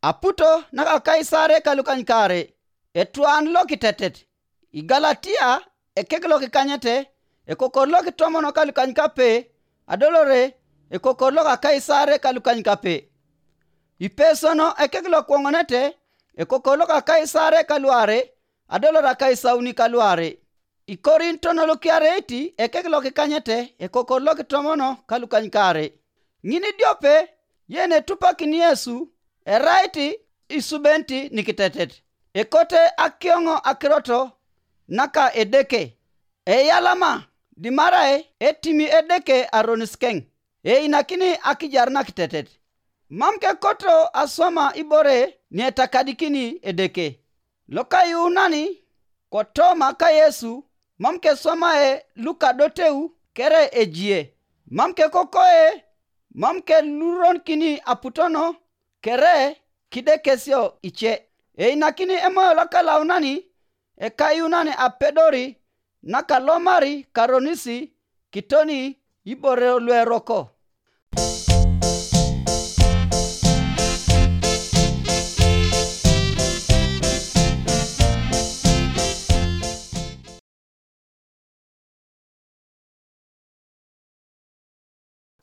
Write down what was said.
aputo naka Kaisare kalukany kare etuan lo kitetet igalatia ekeklo kikanyete ekokorlo kitomono kalukany kape adolore ekokorlo ka Kaisare kalukany kape ipesono ekeklo kuongonete ekokorlo ka Kaisare kaluare adolora Kaisauni kaluare ikorinto no lukiareti ekeklo kikanyete ekokorlo kitomono kalukany kare ngini diope yene tupakini Yesu eraiti isubenti nikitetet ekote akiongo akiroto naka edeke eyalama dimarae etimi edeke aroniskeng inakini akijarna kitetet mamke koto asoma ibore nietakadikini edeke lokayunani kotoma ka Yesu mamke somae Luka doteu kere ejie mamke kokoe mamke luron kini aputono kere kidekesio iche inakini emoyo lakalaunani ekayunani apedori nakalomari karonisi kitoni ibore lweroko